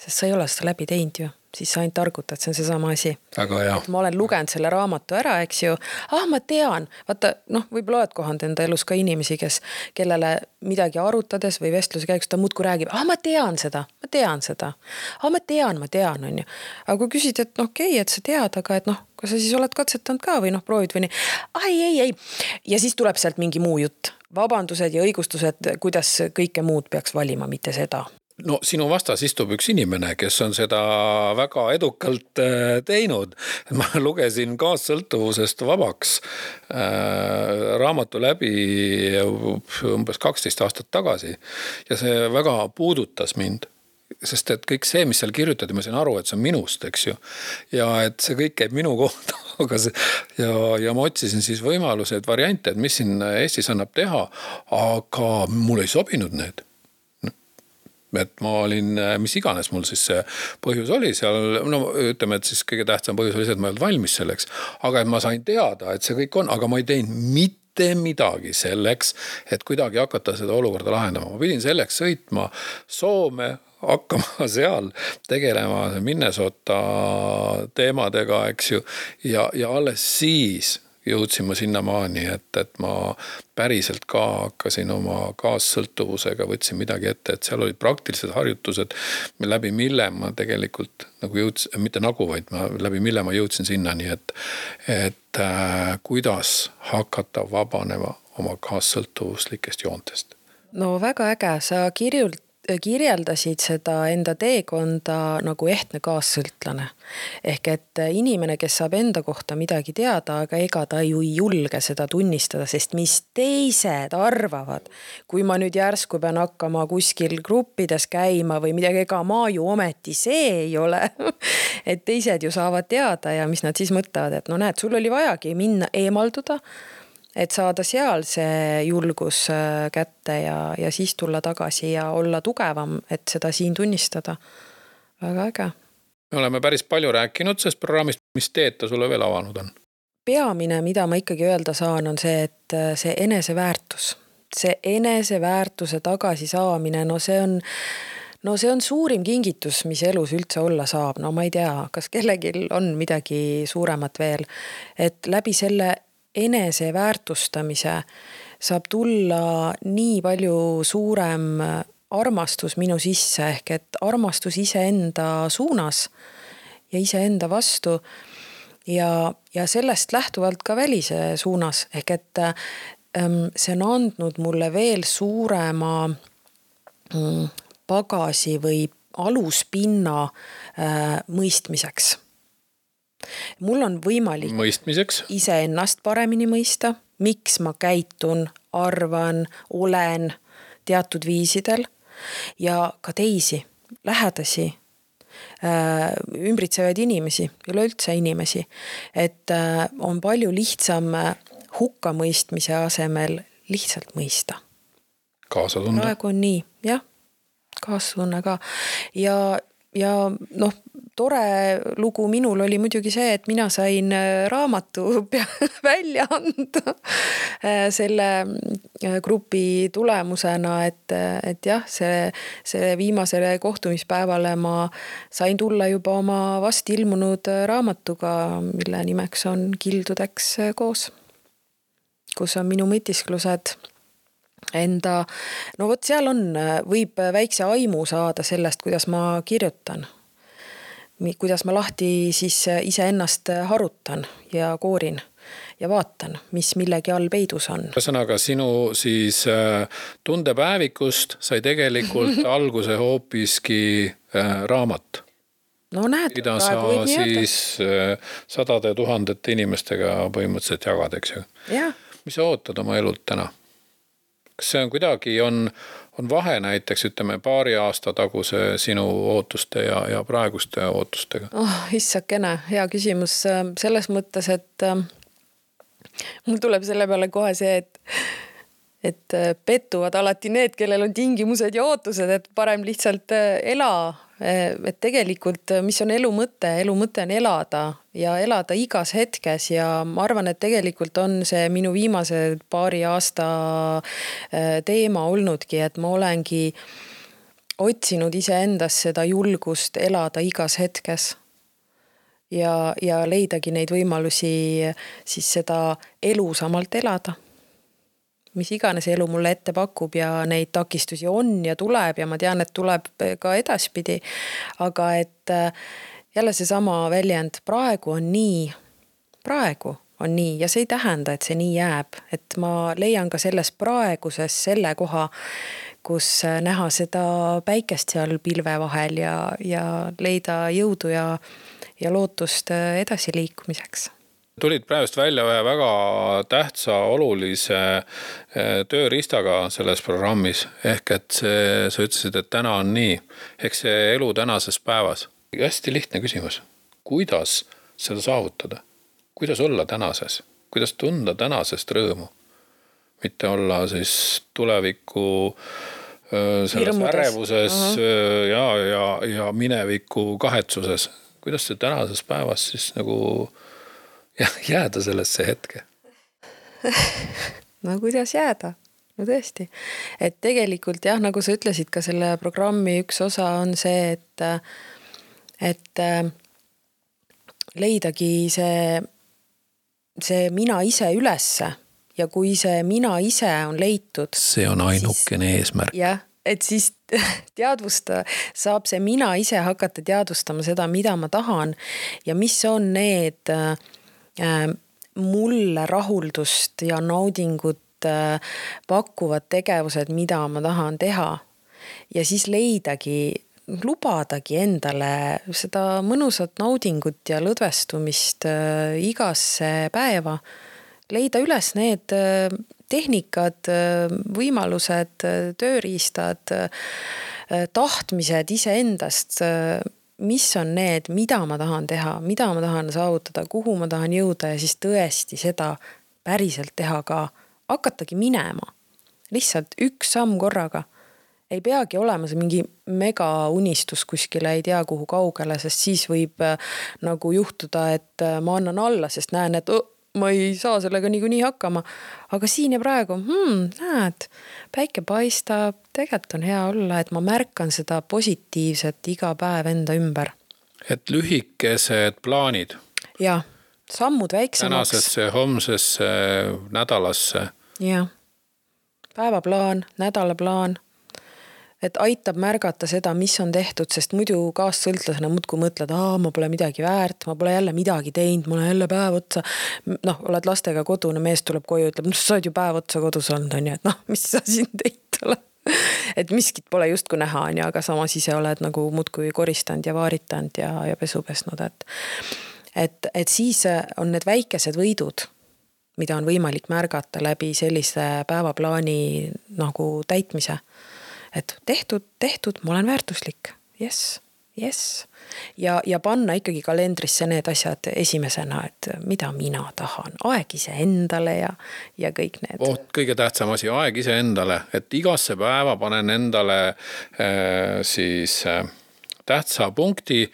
Sest sa ei ole seda läbi teinud ju. Siis sa ainult targutad, see on see sama asi. Aga jah. Ma olen lugenud selle raamatu ära, eks ju. Ah, ma tean. Vaata, noh, võib-olla oled kohanud enda elus ka inimesi, kes, kellele midagi arutades või vestluse käigus ta muudku räägib. Ah, ma tean seda, ma tean seda. Ah, ma tean, ma tean, on ju. Aga kui küsid, et noh, okei, et sa tead, aga et noh, kas sa siis oled katsetanud ka või noh, proovid või nii. Ai, ei, ei. Ja siis tuleb sealt mingi muu jutt. Vabandused ja õigustused, kuidas kõike muud peaks valima, mitte seda. No sinu vastas istub üks inimene, kes on seda väga edukalt teinud. Ma lugesin kaassõltuvusest vabaks raamatu läbi umbes kaksteist aastat tagasi ja see väga puudutas mind. Sest et kõik see, mis seal kirjutati, ma sain aru, et see on minust, eks ju. Ja et see kõik käib minu kohta. Aga see, ja, ja ma otsisin siis võimalused, variante, et mis siin Eestis annab teha, aga mul ei sobinud need. Et ma olin, mis iganes mul siis see põhjus oli seal, no ütleme, et siis kõige tähtsam põhjus oli see, et ma ei olnud valmis selleks, aga et ma sain teada, et see kõik on, aga ma ei teinud mitte midagi selleks, et kuidagi hakata seda olukorda lahendama. Ma pidin selleks sõitma Soome, hakkama seal tegelema Minnesota teemadega, eks ju, ja, ja alles siis jõudsin ma sinna maani, et, et ma päriselt ka hakkasin oma kaassõltuvusega, võtsin midagi ette, et seal olid praktilised harjutused, läbi mille ma tegelikult nagu jõudsin, mitte nagu, vaid ma, läbi mille ma jõudsin sinna, nii et, et äh, kuidas hakata vabanema oma kaassõltuvuslikest joontest. No väga äge, sa kirjult kirjeldasid seda enda teekonda nagu ehtne kaassõltlane. Ehk et inimene, kes saab enda kohta midagi teada, aga ega ta ju ei julge seda tunnistada, sest mis teised arvavad, kui ma nüüd järsku pean hakkama kuskil gruppides käima või midagi, ega ma ju ometi see ei ole. Et teised ju saavad teada ja mis nad siis mõtlevad, et no näed, sul oli vajagi minna eemalduda, et saada seal see julgus kätte ja, ja siis tulla tagasi ja olla tugevam, et seda siin tunnistada. Väga äge. Me oleme päris palju rääkinud sellest programmist, mis teed ta sulle veel avanud on? Peamine, mida ma ikkagi öelda saan, on see, et see eneseväärtus. See eneseväärtuse tagasi saamine, no see on No see on suurim kingitus, mis elus üldse olla saab. No ma ei tea, kas kellegil on midagi suuremat veel. Et läbi selle enese väärtustamise saab tulla nii palju suurem armastus minu sisse, ehk et armastus iseenda suunas ja iseenda vastu ja, ja sellest lähtuvalt ka välise suunas, ehk et ähm, see on andnud mulle veel suurema mm, pagasi või aluspinna äh, mõistmiseks. Mul on võimalik mõistmiseks iseennast paremini mõista, miks ma käitun, arvan, olen teatud viisidel ja ka teisi, lähedasi, äh, ümbritsevaid inimesi, üleüldse inimesi. Et äh, on palju lihtsam hukkamõistmise asemel lihtsalt mõista. Kaasatunne. Praegu on nii, jah, kaastunne ka. Ja, ja noh, tore lugu minul oli muidugi see, et mina sain raamatu välja anda selle grupi tulemusena, et, et jah, see, see viimasele kohtumispäevale ma sain tulla juba oma vast ilmunud raamatuga, mille nimeks on Kildudeks koos, kus on minu mõtisklused enda, no vot seal on, võib väikse aimu saada sellest, kuidas ma kirjutan. Kuidas ma lahti siis iseennast harutan ja koorin ja vaatan, mis millegi all peidus on. Ühesõnaga, sinu siis tundepäevikust sai tegelikult alguse hoopiski raamat. No näed, mida sa siis sadade tuhandete inimestega põhimõtteliselt jagad, eks ju? Ja. Mis sa ootad oma elult täna? Kas see on kuidagi, on, on vahe näiteks, ütleme, paari aasta taguse sinu ootuste ja, ja praeguste ootustega? Oh, issakene, hea küsimus. Selles mõttes, et mul tuleb selle peale kohe see, et, et pettuvad alati need, kellel on tingimused ja ootused, et parem lihtsalt ela. Et tegelikult, mis on elu mõte? Elu mõte on elada ja elada igas hetkes ja ma arvan, et tegelikult on see minu viimase paari aasta teema olnudki, et ma olengi otsinud iseendas seda julgust elada igas hetkes ja, ja leidagi neid võimalusi siis seda elusamalt elada. Mis iganes elu mulle ette pakub ja neid takistusi on ja tuleb ja ma tean, et tuleb ka edaspidi. Aga et jälle see sama väljend, praegu on nii, praegu on nii ja see ei tähenda, et see nii jääb. Et ma leian ka selles praeguses selle koha, kus näha seda päikest seal pilve vahel ja, ja leida jõudu ja, ja lootust edasi liikumiseks. Tulid praegust välja ühe väga tähtsa, olulise tööriistaga selles programmis. Ehk et see, sa ütlesid, et täna on nii. Ehk see elu tänases päevas. Hästi lihtne küsimus. Kuidas seda saavutada? Kuidas olla tänases? Kuidas tunda tänasest rõõmu? Mitte olla siis tuleviku selles ärevuses uh-huh. ja, ja, ja mineviku kahetsuses. Kuidas see tänases päevas siis nagu ja jääda sellesse hetke? No kuidas jääda? No tõesti. Et tegelikult jah, nagu sa ütlesid, ka selle programmi üks osa on see, et, et leidagi see, see mina ise ülesse ja kui see mina ise on leitud. See on ainukene siis, eesmärk. Jah, et siis teadvusta, saab see mina ise hakata teadvustama seda, mida ma tahan ja mis on need mulle rahuldust ja naudingut pakuvad tegevused, mida ma tahan teha. Ja siis leidagi, lubadagi endale seda mõnusat naudingut ja lõdvestumist igasse päeva. Leida üles need tehnikad, võimalused, tööriistad, tahtmised iseendast, mis on need, mida ma tahan teha, mida ma tahan saavutada, kuhu ma tahan jõuda ja siis tõesti seda päriselt teha ka, hakatagi minema. Lihtsalt üks samm korraga. Ei peagi olema see mingi mega unistus kuskile, ei tea kuhu kaugele, sest siis võib nagu juhtuda, et ma annan alla, sest näen, et oh, ma ei saa sellega niikuinii hakkama. Aga siin ja praegu, hmm, näed, päike paistab, tegelikult on hea olla, et ma märkan seda positiivset iga päev enda ümber. Et lühikesed plaanid. Ja. sammud väiksemaks. Tänasesse, homsesse, nädalasse. Jah, päevaplaan, nädalaplaan. Et aitab märgata seda, mis on tehtud, sest muidu kaassõltlasena muudkui mõtled, aa, ma pole midagi väärt, ma pole jälle midagi teinud, ma olen jälle päev otsa. Noh, oled lastega kodune, mees tuleb koju, ütleb, no sa oled ju päev otsa kodus olnud, on ju, et noh, mis sa siin teinud ole. Et miskit pole justku näha, on ju, aga samas ise oled nagu muudkui koristanud ja vaaritanud ja, ja pesu pesnud. Et, et, et siis on need väikesed võidud, mida on võimalik märgata läbi sellise päevaplaani nagu täitmise. Et tehtud, tehtud, ma olen väärtuslik. Yes, yes. Ja, ja panna ikkagi kalendrisse need asjad esimesena, et mida mina tahan. Aeg ise endale ja, ja kõik need. Oh, kõige tähtsam asi, aeg ise endale. Et igasse päeva panen endale äh, siis äh, tähtsa punkti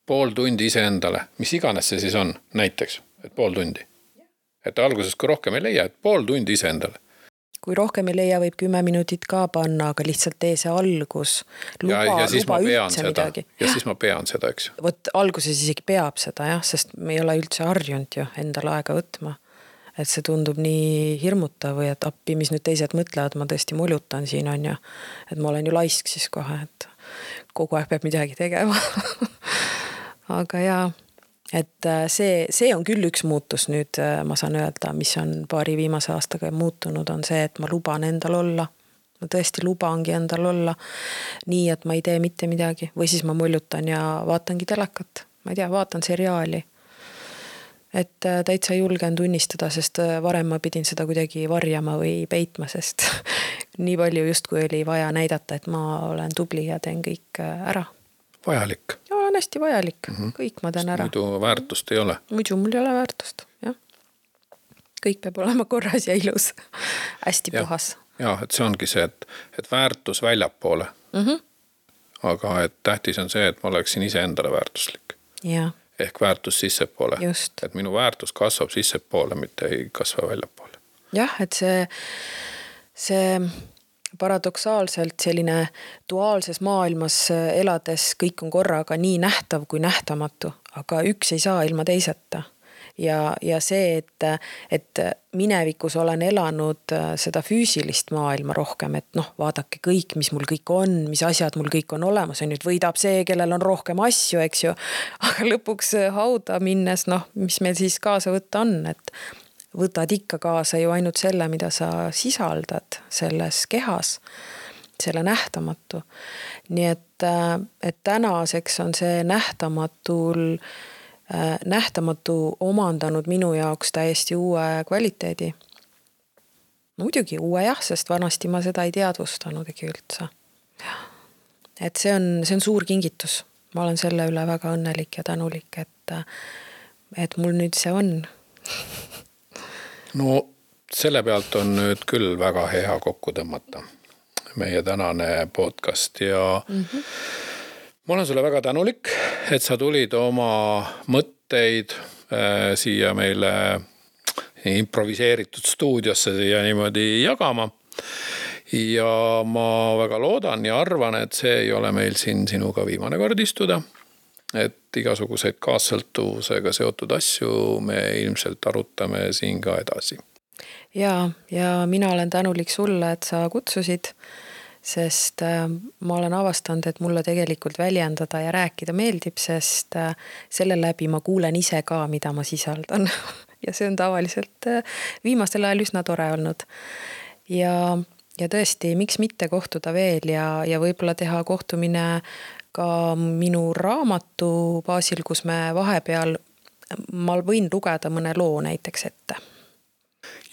pool tundi ise endale. Mis iganes see siis on, näiteks, et pool tundi. Et alguses kui rohkem ei leia, et pool tundi ise endale. Kui rohkem ei leia, võib kümme minutit ka panna, aga lihtsalt tee see algus. Luba, ja, ja siis luba ma pean üldse seda. Midagi. Ja siis ma pean seda, eks. Võt alguses isegi peab seda, jah, sest me ei ole üldse harjunud ju endale aega võtma. Et see tundub nii hirmutav või et appi, mis nüüd teised mõtlevad, ma tõesti molutan siin on ju. Et ma olen ju laisk siis kohe, et kogu aeg peab midagi tegema. Aga jaa. Et see, see on küll üks muutus nüüd, ma saan öelda, mis on paari viimase aastaga muutunud, on see, et ma luban endal olla. Ma tõesti lubangi endal olla nii, et ma ei tee mitte midagi. Või siis ma muljutan ja vaatangi telekat. Ma ei tea, vaatan seriaali. Et täitsa julgen tunnistada, sest varem ma pidin seda kuidagi varjama või peitma, sest nii palju just kui oli vaja näidata, et ma olen tubli ja teen kõik ära. Vajalik. Ja olen hästi vajalik. Mm-hmm. Kõik ma teen ära. Muidu väärtust ei ole. Muidu mul ei ole väärtust, jah. Kõik peab olema korras ja ilus. Hästi ja. puhas. Ja, et see ongi see, et, et väärtus väljapoole. Mm-hmm. Aga et tähtis on see, et ma oleksin ise endale väärtuslik. Ja. Ehk väärtus sissepoole. Just. Et minu väärtus kasvab sissepoole, mitte ei kasva väljapoole. Jah, et see, see paradoksaalselt selline duaalses maailmas elades kõik on korraga nii nähtav kui nähtamatu, aga üks ei saa ilma teiseta. Ja, ja see, et, et minevikus olen elanud seda füüsilist maailma rohkem, et noh, vaadake kõik, mis mul kõik on, mis asjad mul kõik on olemas, ja nüüd võidab see, kellel on rohkem asju, eks ju, aga lõpuks hauda minnes, noh, mis meil siis kaasa võtta on, et võtad ikka kaasa ju ainult selle, mida sa sisaldad selles kehas, selle nähtamatu. Nii et, et tänaseks on see nähtamatul, nähtamatu omandanud minu jaoks täiesti uue kvaliteedi. No muidugi uue jah, sest vanasti ma seda ei teadvustanud ega üldse. Et see on, see on suur kingitus. Ma olen selle üle väga õnnelik ja tänulik, et, et mul nüüd see on. No selle pealt on nüüd küll väga hea kokku tõmmata meie tänane podcast ja mm-hmm. ma olen sulle väga tänulik, et sa tulid oma mõtteid äh, siia meile improviseeritud stuudiosse siia niimoodi jagama. Ja ma väga loodan ja arvan, et see ei ole meil siin sinuga viimane kord istuda. Et igasuguseid kaassõltuvusega seotud asju me ilmselt arutame siin ka edasi. Ja, ja mina olen tänulik sulle, et sa kutsusid, sest ma olen avastanud, et mulle tegelikult väljendada ja rääkida meeldib, sest selle läbi ma kuulen ise ka, mida ma sisaldan. Ja see on tavaliselt viimastel ajal üsna tore olnud. Ja, ja tõesti, miks mitte kohtuda veel ja, ja võib-olla teha kohtumine ka minu raamatu baasil, kus me vahepeal, ma võin lugeda mõne loo näiteks ette.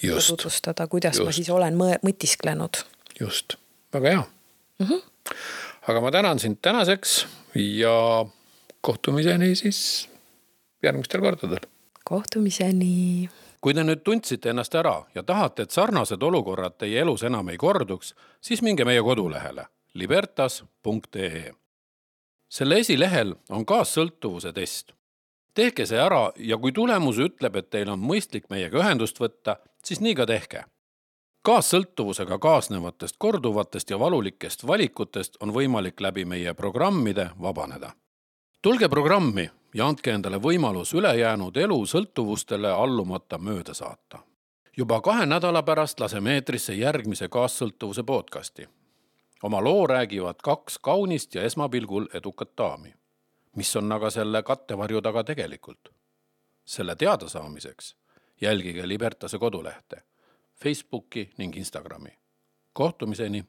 Just. Tutvustada, kuidas Just. ma siis olen mõtisklenud. Just, väga hea. Mm-hmm. Aga ma tänan sind tänaseks ja kohtumiseni siis järgmistel kordadel. Kohtumiseni. Kui te nüüd tundsite ennast ära ja tahate, et sarnased olukorrad teie elus enam ei korduks, siis minge meie kodulehele libertas punkt ee. Selle esilehel on kaassõltuvuse test. Tehke see ära ja kui tulemus ütleb, et teil on mõistlik meiega ühendust võtta, siis nii ka tehke. Kaassõltuvusega kaasnevatest korduvatest ja valulikest valikutest on võimalik läbi meie programmide vabaneda. Tulge programmi ja andke endale võimalus ülejäänud elu sõltuvustele allumata mööda saata. Juba kahe nädala pärast laseme eetrisse järgmise kaassõltuvuse podcasti. Oma loo räägivad kaks kaunist ja esmapilgul edukat daami. Mis on aga selle kattevarju taga tegelikult? Selle teada saamiseks jälgige Libertase kodulehte, Facebooki ning Instagrami. Kohtumiseni!